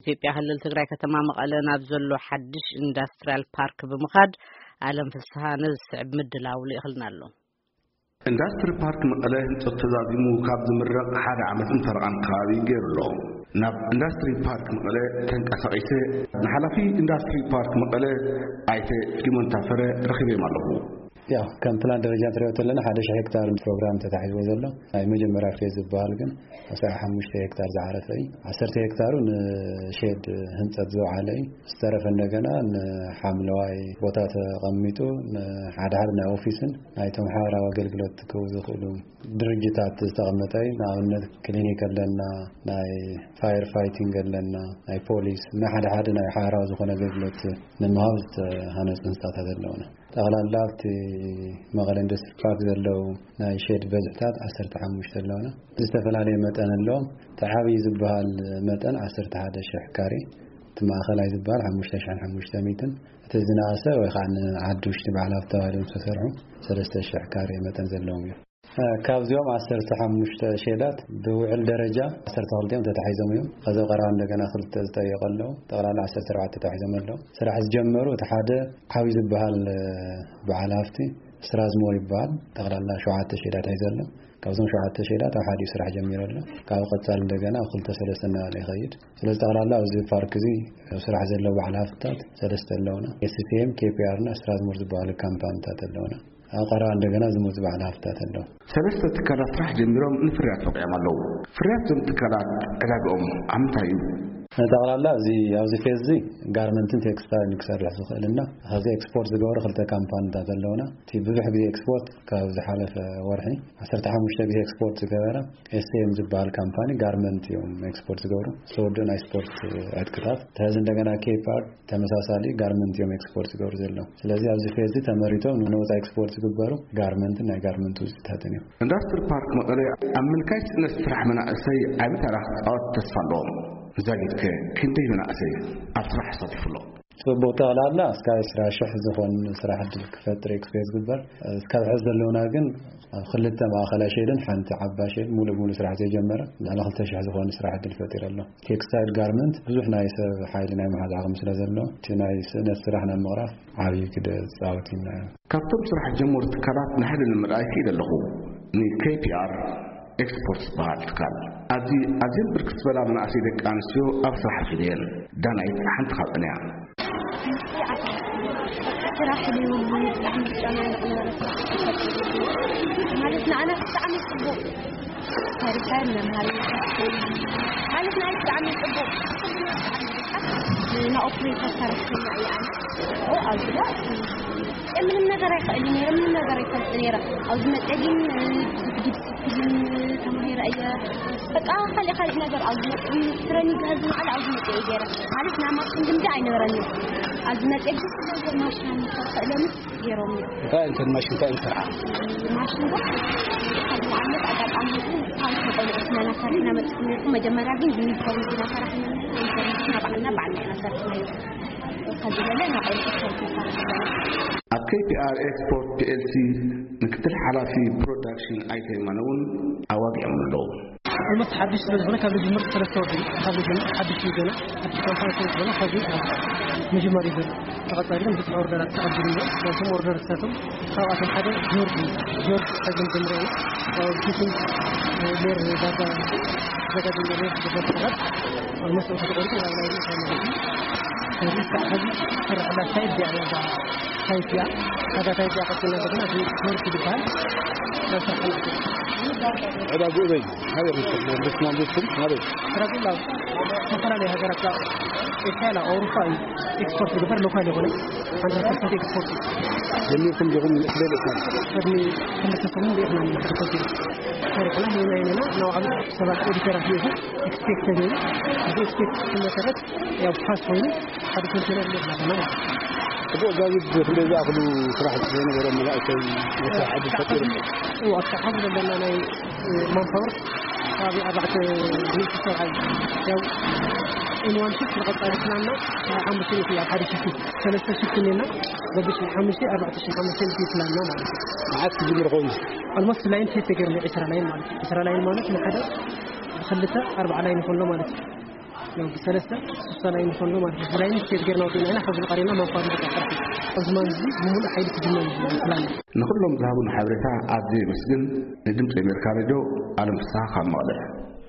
ኢትዮጵያ ክልል ትግራይ ከተማ መቐለ ናብ ዘሎ ሓድሽ ኢንዱስትሪያል ፓርክ ብምኻድ ኣለም ፍስሃ ነዚ ዝስዕብ ምድላው ልኢኽልና ኣሎ። ኢንዱስትሪ ፓርክ መቐለ ህንፀት ተዛዚሙ ካብ ዝምረቕ ሓደ ዓመትን ፈረቓን ከባቢ ገይሩ ኣሎ። ናብ ኢንዱስትሪ ፓርክ መቐለ ተንቀሳቒሰ ንሓላፊ ኢንዱስትሪ ፓርክ መቐለ ኣይተ ፊሊሞን ታፈረ ረኺበዮም ኣለኹ። ያው ከም ፕላን ደረጃ እንትሪኦ ተለና ሓደ ሺሕ ሄክታር ፕሮግራም ተታሒዝዎ ዘሎ ናይ መጀመርያ ፌዝ ዝበሃል ግን ኣስራ ሓሙሽተ ሄክታር ዝዓረፈ እዩ። ዓሰርተ ሄክታሩ ንሼድ ህንፀት ዝወዓለ እዩ። ዝተረፈ እንደገና ንሓምለዋይ ቦታ ተቐሚጡ ንሓድሓድ ናይ ኦፊስን ናይ ተምሓራዊ ኣገልግሎት ክህቡ ዝኽእሉ ድርጅታት ዝተቐመጠ እዩ። ንኣብነት ክሊኒክ ኣለና፣ ናይ ፋየር ፋይቲንግ ኣለና፣ ናይ ፖሊስ፣ ናይ ሓደ ሓደ ናይ ሓራዊ ዝኾነ ኣገልግሎት ንምሃብ ዝተሃነፁ ህንፃታት ኣለውና። ጠቕላላ ኣብቲ መቐለ ኢንዱስትሪ ፓርክ ዘለዉ ናይ ሼድ በዝሕታት ዓሰርተ ሓሙሽተ ኣለውና። ዝተፈላለየ መጠን ኣለዎም። እቲ ዓብዪ ዝበሃል መጠን ዓሰርተ ሓደ ሽሕ ካሬ፣ እቲ ማእኸላይ ዝበሃል ሓሙሽተ ሽሕን ሓሙሽተ ሚእትን፣ እቲ ዝነኣሰ ወይ ከዓ ንዓዲ ውሽጢ በዓል ሃብቲ ተባሂሎም ዝተሰርሑ ሰለስተ ሽሕ ካሬ መጠን ዘለዎም እዮም። ካብዚኦም ዓሰርተ ሓሙሽተ ሼዳት ብውዕል ደረጃ ዓሰርተ ክልተ እዮም ተታሒዞም እዮም። ከዚ ኣብ ቀረባ እንደገና ክልተ ዝጠየቁ ኣለዉ። ጠቕላላ ዓሰርተ ኣርባዕተ ተታሒዞም ኣለዉ። ስራሕ ዝጀመሩ እቲ ሓደ ዓብዪ ዝበሃል በዓል ሃፍቲ ስራዝሞር ይበሃል። ጠቕላላ ሸውዓተ ሼዳት ሒዙ ኣሎ። ካብዞም ሸውዓተ ሼዳት ኣብ ሓዲኡ ስራሕ ጀሚሩ ኣሎ። ካብ ቀጻሊ እንደገና ኣብ ክልተ ሰለስተ እናበለ ይኸይድ። ስለዚ ጠቕላላ ኣብዚ ፓርክ እዚ ኣብ ስራሕ ዘለዉ በዓል ሃፍትታት ሰለስተ ኣለዉና። ኤስሲኤም፣ ኬፒኣር እና ስራዝሞር ዝበሃሉ ካምፓኒታት ኣለዉና። ኣብ ቀረባ እንደገና ዝመፁ በዓል ሃፍትታት ኣለዉ። ሰለስተ ትካላት ስራሕ ጀሚሮም ንፍርያት በቂዖም ኣለዉ። ፍርያት እዞም ትካላት ዕዳግኦም ኣብ ምንታይ እዩ? ጠቕላላ ኣብዚ ኣብዚ ፌዝ እዚ ጋርመንትን ቴክስታይልን ክሰርሕ ዝኽእል እና ካብዚ ኤክስፖርት ዝገብሩ ክልተ ካምፓኒታት ኣለዉና። እቲ ብዙሕ ግዜ ኤክስፖርት ካብ ዝሓለፈ ወርሒ ዓሰርተ ሓሙሽተ ግዜ ኤክስፖርት ዝገበረ ኤስኤም ዝበሃል ካምፓኒ ጋርመንት እዮም ኤክስፖርት ዝገብሩ። ዝወደኡ ናይ ስፖርት ዕጥቅታት። ሕዚ እንደገና ኬፕ ኣርት ተመሳሳሊ ጋርመንት እዮም ኤክስፖርት ዝገብሩ ዘለዉ። ስለዚ ኣብዚ ፌዝ እዚ ተመሪቶም ንወፃኢ ኤክስፖርት ዝግበሩ ጋርመንትን ናይ ጋርመንት ውፅኢታትን እዮም። ኢንዱስትሪ ፓርክ መቐለ ኣብ ምልካይ ስእነት ስራሕ መናእሰይ ዓቢ ተራ ክፃወት ተስፋ ኣለዎም። ዛጊድከ ክንደይ መናእሰይ ኣብ ስራሕ ኣሳቲፉ ኣሎ? ጽቡቕ፣ ጠቕላላ እስካብ ዕስራ ሽሕ ዝኾን ስራሕ ዕድል ክፈጥር እዩ ክፍዮ ዝግበር። እስካብ ሕዚ ዘለውና ግን ኣብ ክልተ ማእኸላይ ሼድን ሓንቲ ዓባይ ሼድ ሙሉእ ብሙሉእ ስራሕ ዘይጀመረ ልዕሊ ክልተ ሽሕ ዝኾን ስራሕ ዕድል ፈጢሩ ኣሎ። ቴክስታይል ጋርመንት ብዙሕ ናይ ሰብ ሓይሊ ናይ ምሓዝ ዓቕሚ ስለ ዘሎ እቲ ናይ ስእነት ስራሕ ናብ ምቕራፍ ዓብዪ ግደ ዝጻወት ኢልና ኢና። ካብቶም ስራሕ ጀመሩ ትካላት ንሓደ ንምርኣይ ክኢለ ኣለኹ። ንኬፒኣር ኤክስፖርት ዝበሃል ትካል ኣብዚ ኣዝየን ብርክት ዝበላ መናእሰይ ደቂ ኣንስትዮ ኣብ ስራሕ ኣትየን። ዳናይት ሓንቲ ካብኣን እያ። ስራሕ ድዩ? ብጣዕሚ ዝጨናነቕ ነበረ። ማለት ንኣና ብጣዕሚ ጽቡቕ። ታሪኻዊ መምሃሪ ማለት ናይ ብጣዕሚ ጽቡቕ። ንኦፕሬተር ሰራሕተኛ እያ። ኣብዚ ጋር ምንም ነገር ኣይክእልን ነይረ፣ ምንም ነገር ኣይፈልጥ ነይረ። ኣብዚ መጸ ግን ብዙሕ ዲስፕሊን ተማሂረ እየ። በቃ ካልእ ካልእ ነገር ኣብዚ መጸ ትረኒንግ ከዚ ንዓል ኣብዚ መጸ እየ ገይረ። ማለት ናይ ማሽን ልምዲ ኣይነበረንን። ኣብዚ መጸ ግን ማሽን ኣይነበረንን። ገይሮም እዮም። እንታይ እንትን ማሽን እንታይ እንሰርዓ? ማሽን ዶ? ንኣብነት ኣጋጣሚ ታሪክ ቆልዑት ኢና እናሰርሕና መፅኩም ነርኩም። መጀመርያ ግን ዩኒፎርም ኢና ሰራሕና ነርና። ዩኒፎርም ንሕና ባዕልና ባዕልና ኢና ሰሪሕናዮ። ከዚ በለ ንቆልዑት ሰርት ይሰርሕ ኣለና። ኣብ ኬፒኣር ኤክስፖርት ፒኤልሲ ምክትል ሓላፊ ፕሮዳክሽን ኣይተ የማነ እውን ኣዋጊዖም ኣለዉ። ኦልሞስት ሓድሽ ስለ ዝኾነ ካብ ልጅምር ሰለስተ ወር እዩ። ካብ ልጅምር ሓድሽ እዩ ገና። ሓድሽ ካምፓኒ ስለ ዝኾነ ካብዚ ምጅማር እዩ ዘሎ። ተቐጻሊ ግን ብዙሕ ኦርደራት ተቐቢሉ ኣሎ። ናይቶም ኦርደርታቶም ካብኣቶም ሓደ ጆርጅ እዩ። ጆርጅ ሕዚ ንጀምሮ ኢና። ያው ፊቲንግ ሌር ዳታ ዘጋጀ ሌር ዝገበር ሰባት ኦልሞስት ተቆሪጹ ናብ ናይ ሩታ ማለት እዩ። ስለዚ እስካዕ ሕዚ ዝስራሕላ ሳይድ እዚኣ እያ፣ እዛ ሳይት እያ። እዛ ሳይት እዚኣ ቀጽልና ዘለና እቲ ጆርጅ ዝበሃል ናብ ስራሕ ዕዳግኡ በይ? ናበይ ርኢኹም? መንግስቲ መንግስትን ናበይ? ዕዳግኡ ናብ ዝተፈላለዩ ሃገራት፣ ኤስያ፣ ኣውሮፓ እዩ ኤክስፖርት ዝግበር፣ ሎካል የኾነ። ሓንድረድ ፐርሰንት ኤክስፖርት እዩ። ጀሚርኩም ዲኹም? ስለ ደስና ቅድሚ ክልተ ሰሙን ርኢኽና ኢና። ሓደ ኮንቴነር ሰሪሕና፣ ሄና ሄና፣ ናብ ዓመት ሰባት ኤዲተራት ርኢኹ፣ ኤክስፔክት ተገይሩ፣ እዚ ኤክስፔክት መሰረት ያው ፓስ ኮይኑ ሓደ ኮንቴነር ርኢኽና ኣለና ማለት እዩ። ጽቡቕ፣ ዛጊድ ክንደይ ዝኣኽሉ ስራሕ ዝነበሮም መናእሰይ ናይ ስራሕ ዕድል ፈጢሩ? እዎ፣ ኣብቲ ሓዚ ዘለና ናይ ማንፓወር ከባቢ ኣርባዕተ ሚእቲ ሰብኣይ። ያው ኢን ዋን ሽፍት ንቐጻሊ ፕላንና ሓሙሽተ ሚእቲ፣ ኣብ ሓደ ሽፍት ሰለስተ ሽፍት እኒአና፣ በብሽፍት ሓሙሽተ ኣርባዕተ ሽሕን ሓሙሽተ ሚእቲ ፕላንና ማለት እዩ። መዓስ ክጅምር ኸውን? ኦልሞስት ላይን ሴት ተገይሩ፣ ዕስራ ላይን ማለት እዩ። ዕስራ ላይን ማለት ንሓደ ብክልተ ኣርባዓ ላይን ይኾን ኣሎ ማለት እዩ። ያው ብሰለስተ ስሳ ላይ ንሰሎ ማለት ነው። ብላይ ስቴት ገርና ወዲና ኢና ሐዚ ቀሪና ማንኳር ይበቃ። እዚ ማን እዚ ብሙሉ ሓይሊ ክጅመር ይችላል። ንኹሎም ዝሃቡን ሓበሬታ ኣዝየ የመስግን። ንድምፂ ኣሜሪካ ሬድዮ ኣለም ፍስሓ ካብ መቐለ።